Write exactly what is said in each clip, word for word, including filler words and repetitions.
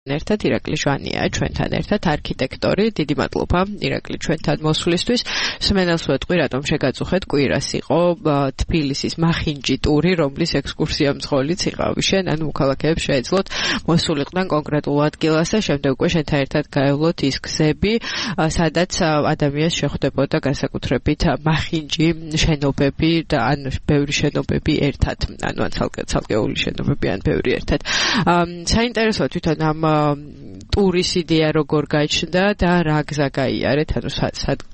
ერთად ირაკლი ჟვანია ჩვენთან ერთად არქიტექტორი. დიდი მადლობა ირაკლი ჩვენთან მოსვლისთვის. სმენელს ვეთყვი, რატომ შეგაწუხეთ, კვირას იყო თბილისის მახინჯი ტური, რომლის ექსკურსია მძღოლიც იყავი შენ, ანუ მოქალაქეებს შეეძლოთ მოსულიყვნენ კონკრეტულ ადგილას და შემდეგ უკვე შენთან ერთად გაევლოთ ის გზები, სადაც ადამიანს შეხვდებოდა განსაკუთრებით მახინჯი შენობები და ან ბევრი შენობები ერთად, ანუ ან ცალკეული შენობები ან ბევრი ერთად. საინტერესოა თვითონ ამ ტურის იდეა როგორ გაჩნდა და რა გზა გაიარეთ, ანუ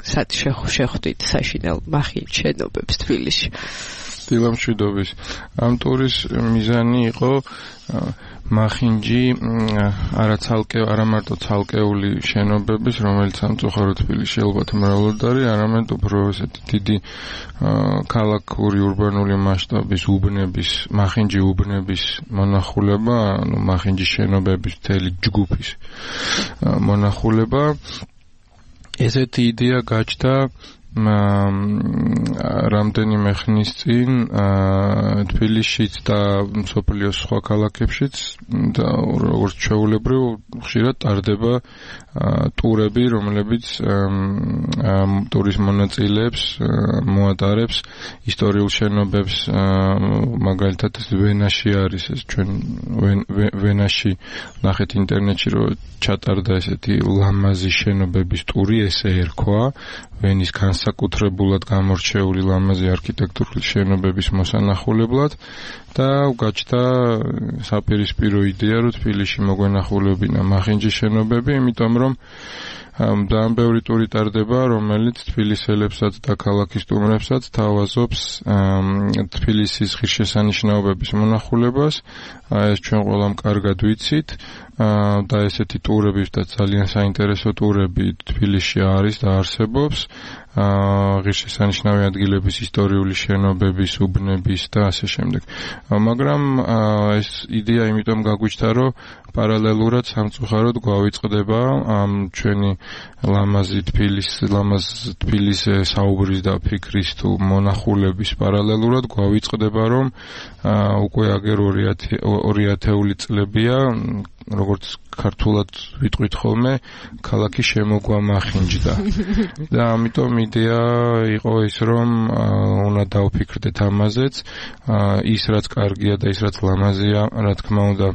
სად შეხვდით საშინელ მახინჯ შენობებს თბილისში? დილამშვიდობის. ამ ტურის მიზანი იყო მახინჯი არა ცალკე არა მარტო ცალკეული შენობების, რომელიც სამწუხაროდ თბილისში ალბათ მრავლად არის, არამედ უფრო ესეთი დიდი ქალაქური ურბანული მასშტაბის უბნების, მახინჯი უბნების მონახულება, ანუ მახინჯის შენობების მთელი ჯგუფის მონახულება. ესეთი იდეა გაჩნდა რამდენიმე ხნის წინ თბილისშიც და მსოფლიოს სხვა ქალაქებშიც და როგორც ჩვეულებრივ ხშირად ტარდება ტურები, რომლებიც ტურის მონაწილეებს მოატარებს ისტორიულ შენობებს, მაგალითად ვენაში არის ეს ჩვენ ვენაში ნახეთ ინტერნეტში, რომ ჩატარდა ესეთი ლამაზი შენობების ტური, ესე ერქვა ვენის განსაკუთრებულად გამორჩეული ლამაზი არქიტექტურული შენობების მოსანახულებლად და გაჩნდა საპირისპირო იდეა, რომ თბილისში მოგვენახულებინა მახინჯის შენობები, იმიტომ რომ ძალიან ბევრი ტური ტარდება, რომელიც თბილისელებსაც და ქალაქის სტუმრებსაც თავაზობს თბილისის ღირსშესანიშნაობების მონახულებას. ეს ჩვენ ყველამ კარგად ვიცით და ესეთი ტურები და ძალიან საინტერესო ტურები თბილისში არის და არსებობს. ღირსშესანიშნავი ადგილების ისტორიული შენობების, უბნების და ასე შემდეგ. მაგრამ ეს იდეა იმიტომ გაგვიჩნდა, რომ პარალელურად სამწუხაროდ გვავიწყდება ამ ჩვენი ლამაზი თბილის, ლამაზ თბილისზე საუბრის და ფიქრის თუ მონახულების პარალელურად გვავიწყდება, რომ უკვე აგერ ორი ათეული წლებია, როგორც ქართულად ვიტყვით ხოლმე, ქალაქი შემოგვამახინჯდა. და ამიტომ იდეა იყო ის, რომ უნდა დავფიქრდეთ ამაზეც, ის რაც კარგია და ის რაც ლამაზია, რა თქმა უნდა,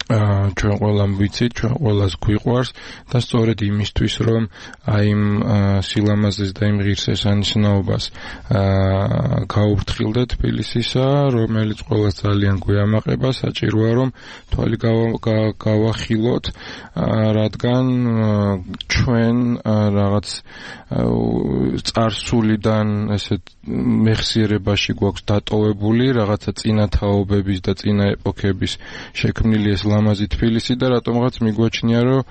ჩვენ ყველამ ვიცით, ჩვენ ყველას გვიყვარს და სწორედ იმისთვის, რომ აი იმ სილამაზეს და იმ ღირსშესანიშნაობას გაუფრთხილდეთ თბილისისა, რომელიც ყველას ძალიან გვიამაყება, საჭიროა რომ თვალი გავახილოთ, რადგან ჩვენ რაღაც წარსულიდან ესეთ მეხსიერებაში გვაქვს დატოვებული რაღაცა წინა თაობების და წინა ეპოქების შექმნილი ეს ლამაზი თბილისი და რატომღაც მიგვაჩნია, რომ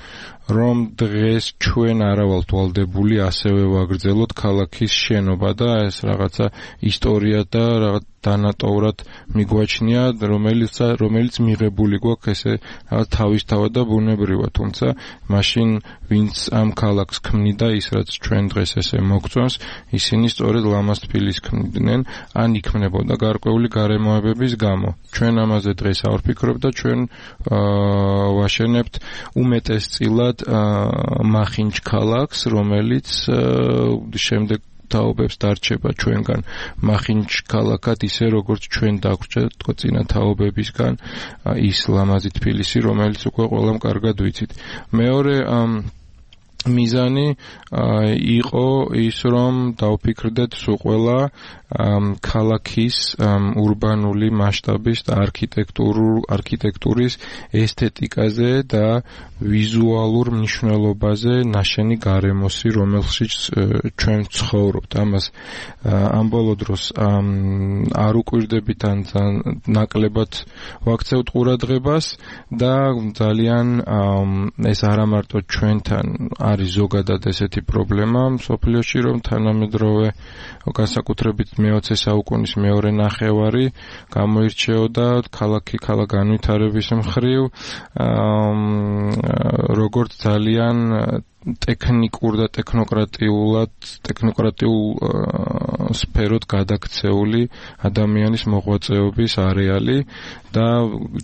რომ დღეს ჩვენ არა ვალთ ვალდებული ასევე ვაგრძელოთ ქალაქის შენობა და ეს რაღაცა ისტორია და რაღაც დანატოვრად მიგვაჩნია, რომელიც რომელიც მიღებული გვაქვს ესე რაღაც თავისთავად და ბუნებრივად, თუმცა მაშინ ვინც ამ ქალაქს ქმნიდა, ის რაც ჩვენ დღეს ესე მოგწონს, ისინი სწორედ ლამაზ თბილისს ქმნიდნენ, ან იქმნებოდა გარკვეული გარემოებების გამო. ჩვენ ამაზე დღეს არ ვფიქრობთ და ჩვენ ვაშენებთ უმეტესწილად მახინჯ ქალაქს, რომელიც შემდეგ თაობებს დარჩება ჩვენგან მახინჯ ქალაქად, ისე როგორც ჩვენ დაგვრჩა თქო წინა თაობებისგან ის ლამაზი თბილისი, რომელიც უკვე ყველამ კარგად ვიცით. მეორე მიზანი იყო ის, რომ დავფიქრდეთ სულ ყველა ქალაქის ურბანული მასშტაბის და არქიტექტურის ესთეტიკაზე და ვიზუალურ მნიშვნელობაზე ნაშენი გარემოსი, რომელშიც ჩვენ ცხოვრობთ. ამას ამ ბოლო დროს არ უკვირდებით ან ნაკლებად ვაქცევთ ყურადღებას და ძალიან ეს არა მარტო ჩვენთან არის ზოგადად ესეთი პრობლემა მსოფლიოში, რომ თანამედროვე განსაკუთრებით მეოცე საუკუნის მეორე ნახევარი გამოირჩეოდა ქალაქი ქალაქ განვითარების მხრივ, როგორც ძალიან ტექნიკურ და ტექნოკრატიულად ტექნოკრატიულ სფეროდ გადაქცეული ადამიანის მოღვაწეობის არეალი და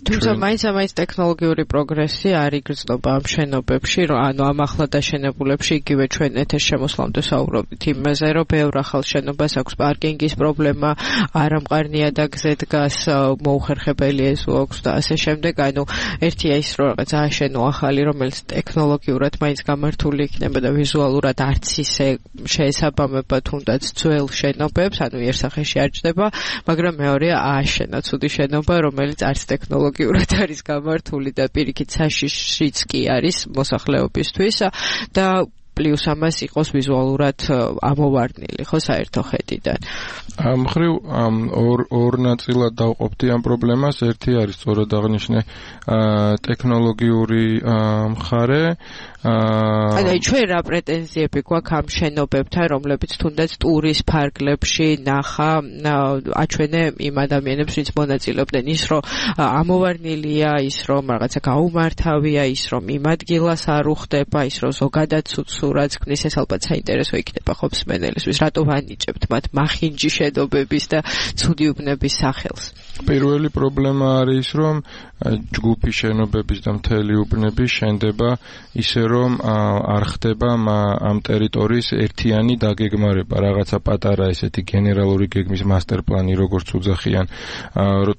თუმცა მაინც ამაინც ტექნოლოგიური პროგრესი არ იგრძნობა ამ შენობებში, ანუ ამ ახლა დაშენებულებში იგივე ჩვენ ეთერ შემოსვლამდე საუბრობთ იმაზე, რომ ბევრ ახალ შენობას აქვს პარკინგის პრობლემა, არამყარ ნიადაგზე დგას, მოუხერხებელი ეზო აქვს და ასე შემდეგ. ანუ ერთია ის, რომ რაღაც ააშენო ახალი, რომელიც ტექნოლოგიურად მაინც გამართული იქნება და ვიზუალურად არც ისე შეესაბამება თუნდაც ძველ შენობებს, ანუ იერსახეში არ ჯდება, მაგრამ მეორეა ააშენა ცუდი შენობა, რომელიც არც ტექნოლოგიურად არის გამართული და პირიქით საშიშიც კი არის მოსახლეობისთვის და პლუს ამას იყოს ვიზუალურად ამოვარდნილი, ხო, საერთო ხედიდან. ამ ხრივ ორ ორ ნაწილად დავყოფდი ამ პრობლემას. ერთი არის სწორად აღნიშნე ტექნოლოგიური მხარე. ანუ ჩვენ რა პრეტენზიები გვაქვს ამ შენობებთან, რომლებიც თუნდაც ტურის ფარგლებში ნახა აჩვენე იმ ადამიანებს, ვინც მონაწილეობდნენ, ის რომ ამოვარდნილია, ის რომ რაღაცა გაუმართავია, ის რომ იმ ადგილას არ უხდება, ის რომ ზოგადად სურათს ქმნის, ეს ალბათ საინტერესო იქნება ხო მსმენელისთვის, რატო ვანიჭებთ მათ მახინჯი შენობების და ცუდი უბნების სახელს. პირველი პრობლემა არის, რომ ჯგუფი შენობების და მთელი უბნები შენდება ისე რომ არ ხდება ამ ტერიტორიის ერთიანი დაგეგმარება, რაღაცა პატარა ესეთი გენერალური გეგმის მასტერპლანი როგორც უძახიან.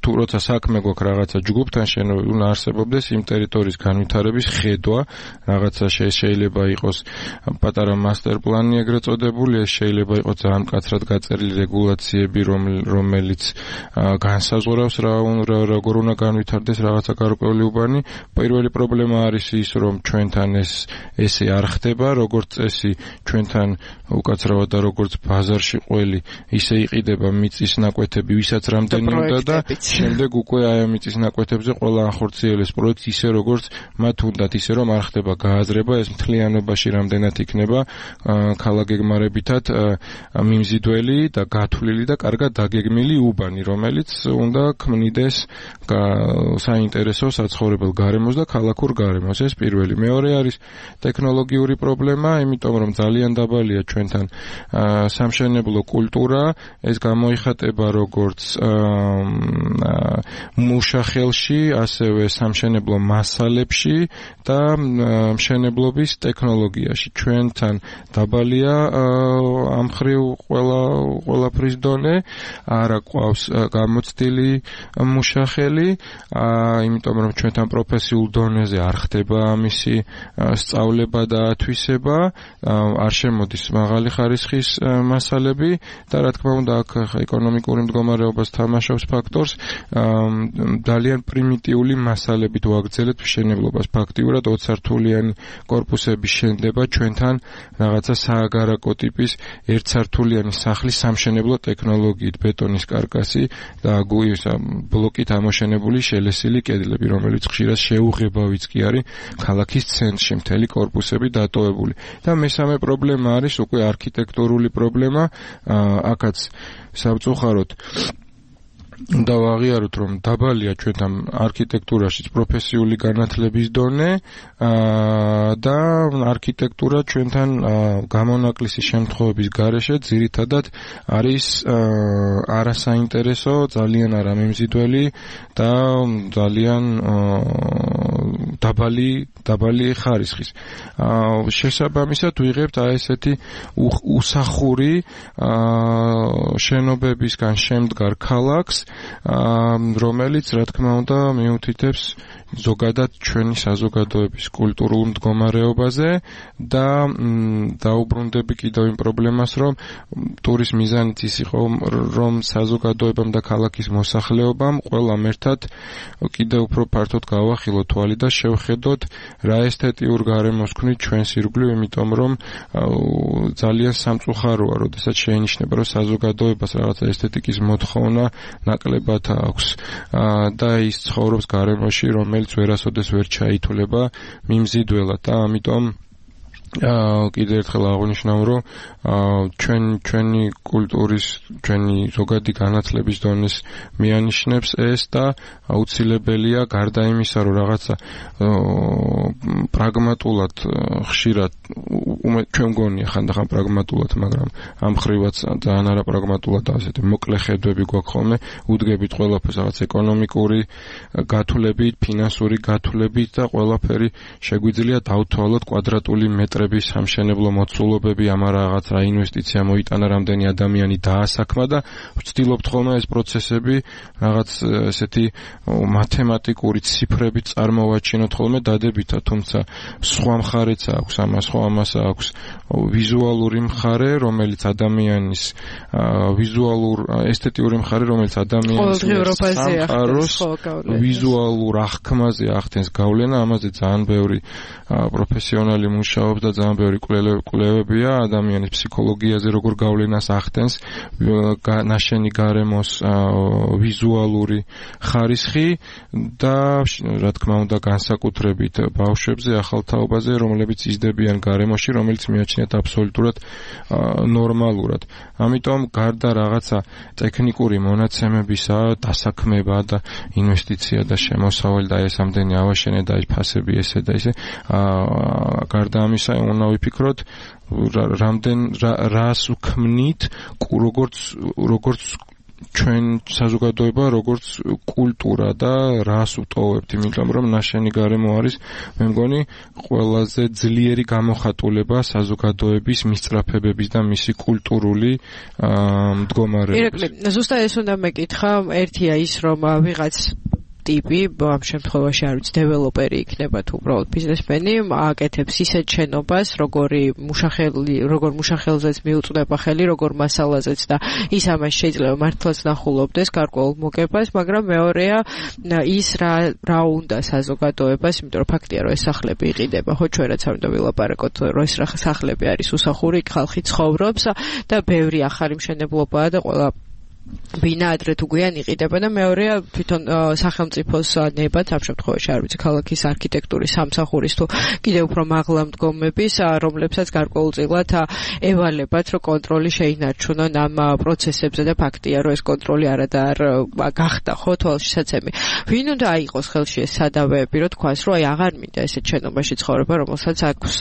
თუ როცა საქმე გვაქვს რაღაცა ჯგუფთან შენობები, უნდა არსებობდეს იმ ტერიტორიის განვითარების ხედვა, რაღაცა შეიძლება იყოს პატარა მასტერპლანი ეგრეთ წოდებული, ეს შეიძლება იყოს ძალიან მკაცრად გაწერილი რეგულაციები, რომელიც განსაზღვრავს რა როგორ უნდა განვითარდეს რაღაცა გარკვეული უბანი. პირველი პრობლემა არის ის, რომ ჩვენთან ეს ესე არ ხდება, როგორც წესი ჩვენთან უკაცრავად და როგორც ბაზარში ყველი ისე იყიდება მიწის ნაკვეთები, ვისაც რამდენი უნდა და შემდეგ უკვე აი ამ მიწის ნაკვეთებზე ყველა ახორციელებს პროექტს ისე როგორც მათ უნდათ, ისე რომ არ ხდება გააზრება, ეს მთლიანობაში რამდენად იქნება ქალაქგეგმარებითად მიმზიდველი და გათვლილი და კარგად დაგეგმილი უბანი, რომელიც უნდა ქმნიდეს საინტერესო საცხოვრებელ გარემოს და ქალაქურ გარემოს. ეს პირველი. მეორე არის ტექნოლოგიური პრობლემა, იმიტომ რომ ძალიან დაბალია ჩვენთან სამშენებლო კულტურა, ეს გამოიხატება როგორც მუშახელში, ასევე სამშენებლო მასალებში და მშენებლობის ტექნოლოგიაში. ჩვენთან დაბალია ამ ხრივ ყველა ყველაფრის დონე, არა ყავს გამოცდილი მუშახელი, იმიტომ რომ ჩვენთან პროფესიულ დონეზე არ ხდება ამისი სწავლება და ათვისება, არ შემოდის მაღალი ხარისხის მასალები და რა თქმა უნდა აქ ეკონომიკური მდგომარეობას თამაშობს ფაქტორს, ძალიან პრიმიტიული მასალებით ვაგრძელებთ მშენებლობას. ფაქტიურად ოცსართულიანი კორპუსები შენდება ჩვენთან რაღაცა სააგარაკო ტიპის ერთსართულიანი სახლის სამშენებლო ტექნოლოგიით, ბეტონის კარკასი და გუის ბლოკით ამოშენებული შელესილი კედლები, რომელიც ხშირად შეუღებავიც კი არის ქალაქის ცენტრში მთელი კორპუსები დატოვებული. და მესამე პრობლემა არის უკვე არქიტექტურული პრობლემა, აქაც სამწუხაროდ და ვაღიაროთ, რომ დაბალია ჩვენთან არქიტექტურაში პროფესიული განათლების დონე და არქიტექტურა ჩვენთან გამონაკლისი შემთხვევების გარეშე ძირითადად არის არასაინტერესო, ძალიან არამემზიდველი და ძალიან დაბალი დაბალი ხარისხის. შესაბამისად ვიღებთ აი ესეთი უსახური შენობებისგან შემდგარ ქალაქს, რომელიც რა თქმა უნდა მიუთითებს ზოგადად ჩვენი საზოგადოების კულტურულ მდგომარეობაზე და დაუბრუნდები კიდევ იმ პრობლემას, რომ ტურის მიზანიც ის იყო, რომ საზოგადოებამ და ქალაქის მოსახლეობამ ყველამ ერთად კიდევ უფრო ფართოდ გავახილოთ თვალი და შევხედოთ რა ესთეტიურ გარემოს ქმნით ჩვენს ირგვლივ, იმიტომ რომ ძალიან სამწუხაროა, როდესაც შეინიშნება, რომ საზოგადოებას რაღაცა ესთეტიკის მოთხოვნა ნაკლებად აქვს და ის ცხოვრობს გარემოში, რომელიც ვერასოდეს ვერ ჩაითვლება მიმზიდველად და ამიტომ კიდევ ერთხელ აღვნიშნავ, რომ ჩვენ ჩვენი კულტურის, ჩვენი ზოგადი განათლების დონეს მიანიშნებს ეს და აუცილებელია გარდა იმისა, რომ რაღაცა პრაგმატულ პრაგმატულად ხშირად ჩვენ მგონია ხანდახან პრაგმატულად, მაგრამ ამ ხრივაც ძალიან არაპრაგმატულად ასეთი მოკლე ხედვები გვაქვს ხოლმე, უდგებით ყველაფერს რაღაც ეკონომიკური გათვლებით, ფინანსური გათვლებით და ყველაფერი შეგვიძლია დავთვალოთ კვადრატული მეტრების სამშენებლო მოცულობები, ამ რაღაც რა ინვესტიცია მოიტანა, რამდენი ადამიანი დაასაქმა და ვცდილობთ ხოლმე ეს პროცესები რაღაც ესეთი მათემატიკური ციფრებით წარმოვაჩინოთ ხოლმე დადებითად, თუმცა სხვა მხარეც აქვს ამას, ხო ამას აქვს ვიზუალური მხარე, რომელიც ადამიანის ვიზუალურ ესთეტიური მხარე, რომელიც ადამიანის სამყაროს ვიზუალურ აღქმაზე ახდენს გავლენა, ამაზე ძალიან ბევრი პროფესიონალი მუშაობს და ძალიან ბევრი კვლევებია ადამიანის ფსიქოლოგიაზე, როგორ გავლენას ახდენს ნაშენი გარემოს ვიზუალური ხარისხი და რა თქმა უნდა განსაკუთრებით ბავშვებზე, ახალთაობაზე, რომლებიც იზრდებიან გარემოში, რომელიც მიაჩნიათ აბსოლუტურად ნორმალურად. ამიტომ გარდა რაღაცა ტექნიკური მონაცემებისა, დასაქმება და ინვესტიცია და შემოსავალი და ეს ამდენი ავაშენე და ეს ფასები ესე და ისე, გარდა ამისა უნდა ვიფიქროთ რამდენ რას უქმნით, როგორც როგორც ჩვენ საზოგადოება, როგორც კულტურა და რას უტოვებთ, იმიტომ რომ ნაშენი გარემო არის, მე მგონი, ყველაზე ძლიერი გამოხატულება საზოგადოების მისწრაფებების და მისი კულტურული მდგომარეობის. ირაკლი, ზუსტად ეს უნდა მეკითხა, ერთია ის, რომ ვიღაც ტიპი, ამ შემთხვევაში არ ვიცი, დეველოპერი იქნება თუ უბრალოდ ბიზნესმენი, აკეთებს ისეთ შენობას, როგორი მუშახელი, როგორ მუშახელზეც მიუწვდება ხელი, როგორ მასალაზეც და ის ამას შეიძლება მართლაც ნახულობდეს გარკვეულ მოგებას, მაგრამ მეორეა ის რა რა უნდა საზოგადოებას, იმიტომ რომ ფაქტია, რომ ეს სახლები იყიდება, ხო ჩვენ რაც არ უნდა ვილაპარაკოთ, რომ ეს სახლები არის უსახური, ხალხი ცხოვრობს და ბევრი ახალი მშენებლობაა და ყველა ბინა ადრე თუ გვიან იყიდება და მეორეა თვითონ სახელმწიფოს ნებად, ამ შემთხვევაში არ ვიცი, ქალაქის არქიტექტურის სამსახურის თუ კიდევ უფრო მაღლა მდგომების, რომლებსაც გარკვეულწილად ევალებათ, რომ კონტროლი შეინარჩუნონ ამ პროცესებზე და ფაქტია, რომ ეს კონტროლი არადარ გახდა, ხო, თვალშისაცემი. ვინ უნდა აიღოს ხელში ეს სადავეები, რომ თქვას, რომ აი აღარ მინდა ესეთ შენობაში ცხოვრება, რომელსაც აქვს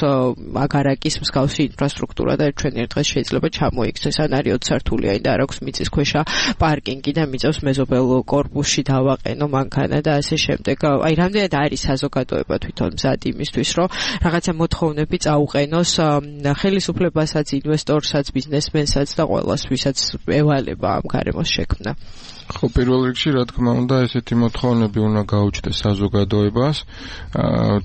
აგარაკის მსგავსი ინფრასტრუქტურა და ჩვენ ერთ დღეს შეიძლება ჩამოიქცეს, ან არის ოცი სართულიანი და არ აქვს მიწისქვეშა პარკინგი და მიწევს მეზობელ კორპუსში დავაყენო მანქანა და ასე შემდეგ. აი რამდენად არის საზოგადოება თვითონ მზად იმისთვის, რომ რაღაცა მოთხოვნები წაუყენოს ხელისუფლებასაც, ინვესტორსაც, ბიზნესმენსაც და ყველას, ვისაც ევალება ამ გარემოს შექმნა. ხო, პირველ რიგში, რა თქმა უნდა, ესეთი მოთხოვნები უნდა გაუჩნდეს საზოგადოებას.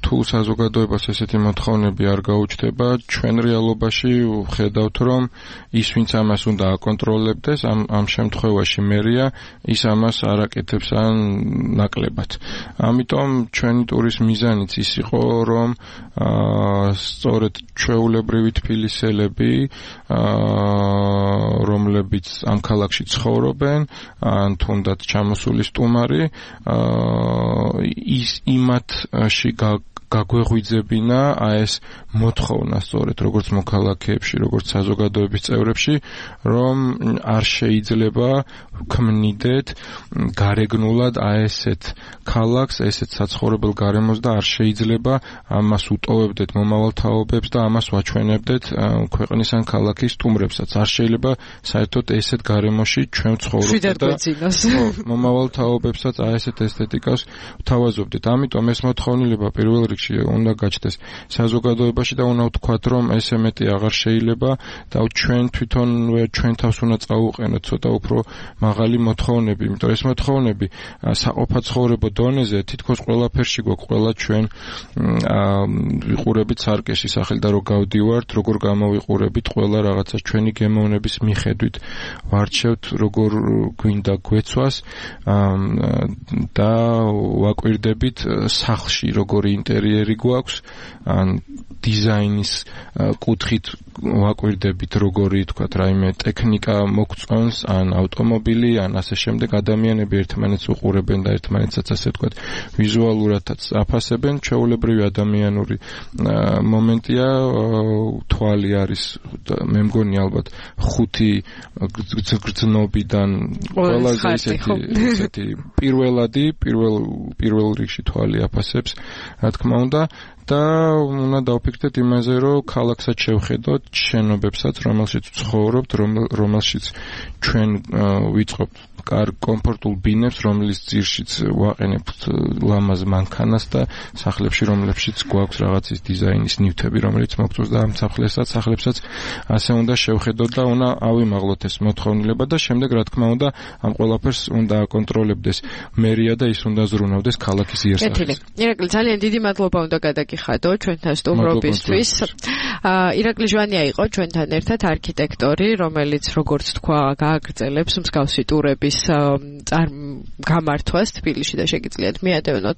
თუ საზოგადოებას ესეთი მოთხოვნები არ გაუჩნდება, ჩვენ რეალობაში ვხედავთ, რომ ის, ვინც ამას უნდა აკონტროლებდეს, ამ ამ შემთხვევაში მერია, ის ამას არ აკეთებს ან ნაკლებად. ამიტომ ჩვენი ტურის მიზანიც ის იყო, რომ სწორედ ჩვეულებრივი თბილისელები, რომლებიც ამ ქალაქში ცხოვრობენ, ან თუნდაც ჩამოსული სტუმარი, ის იმათში გაგვეღვიძებინა ეს მოთხოვნა სწორედ როგორც მოქალაქეებში, როგორც საზოგადოების წევრებში, რომ არ შეიძლება ქმნიდეთ გარეგნულად ესეთ ქალაქს, ესეთ საცხოვრებელ გარემოს და არ შეიძლება ამას უტოვებდეთ მომავალ თაობებს და ამას ვაჩვენებდეთ ქვეყნის ან ქალაქის სტუმრებსაც. არ შეიძლება საერთოდ ესეთ გარემოში ჩვენ ვცხოვრობდეთ და მომავალ თაობებსაც ესეთ ესთეტიკას ვთავაზობდეთ. ამიტომ ეს მოთხოვნილება პირველ რიგში უნდა გაჩნდეს საზოგადოებაში და უნდა ვთქვათ, რომ ესე მეტი აღარ შეიძლება და ჩვენ თვითონვე ჩვენ თავს უნდა წაუყენოთ ცოტა უფრო მაღალი მოთხოვნები, იმიტომ ეს მოთხოვნები საყოფაცხოვრებო დონეზე თითქოს ყველაფერში გვაქვს, ყველა ჩვენ ვიყურებით სარკეში სახელი და რო გავდივართ, როგორ გამოვიყურებით, ყველა რაღაცა ჩვენი გემოვნების მიხედვით ვარჩევთ, როგორ გვინდა გვეცვას და ვაკვირდებით სახლში როგორი ინტერიერი გვაქვს, ან დიზაინის კუთხით ვაკვირდებით, როგორი თქვათ, რაიმე ტექნიკა მოგწონს, ან ავტომობილი, ან ასე შემდეგ, ადამიანები ერთმანეთს უყურებენ და ერთმანეთსაც ასე თქვათ, ვიზუალურადაც აფასებენ. ჩვეულებრივი ადამიანური მომენტია, თვალი არის, მე მგონი ალბათ ხუთი გრძნობიდან ყველაზე ისეთი, ისეთი პირველადი, პირველ პირველ რიგში თვალი აფასებს, რა თქმა თქმა უნდა და უნდა დავფიქრდეთ იმაზე, რომ ქალაქსაც შევხედოთ, შენობებსაც, რომელშიც ვცხოვრობთ, რომელშიც ჩვენ ვიწყობთ კარგ კომფორტულ ბინებს, რომლის ძირშიც ვაყენებთ ლამაზ მანქანას და სახლებში, რომლებშიც გვაქვს რაღაცის დიზაინის ნივთები, რომელიც მოგწონს და ამ სახლებსაც, სახლებსაც ასე უნდა შევხედოთ და უნდა ავიმაღლოთ ეს მოთხოვნილება და შემდეგ რა თქმა უნდა ამ ყველაფერს უნდა აკონტროლებდეს მერია და ის უნდა ზრუნავდეს ქალაქის იერსახეს. ირაკლი, ძალიან დიდი მადლობა უნდა გადაგიხადო ჩვენთან სტუმრობისთვის. ირაკლი ჟვანია იყო ჩვენთან ერთად არქიტექტორი, რომელიც როგორც თქვა, გააგრძელებს მსგავსი ტურების გამართვას თბილისში და შეგიძლიათ მიადევნოთ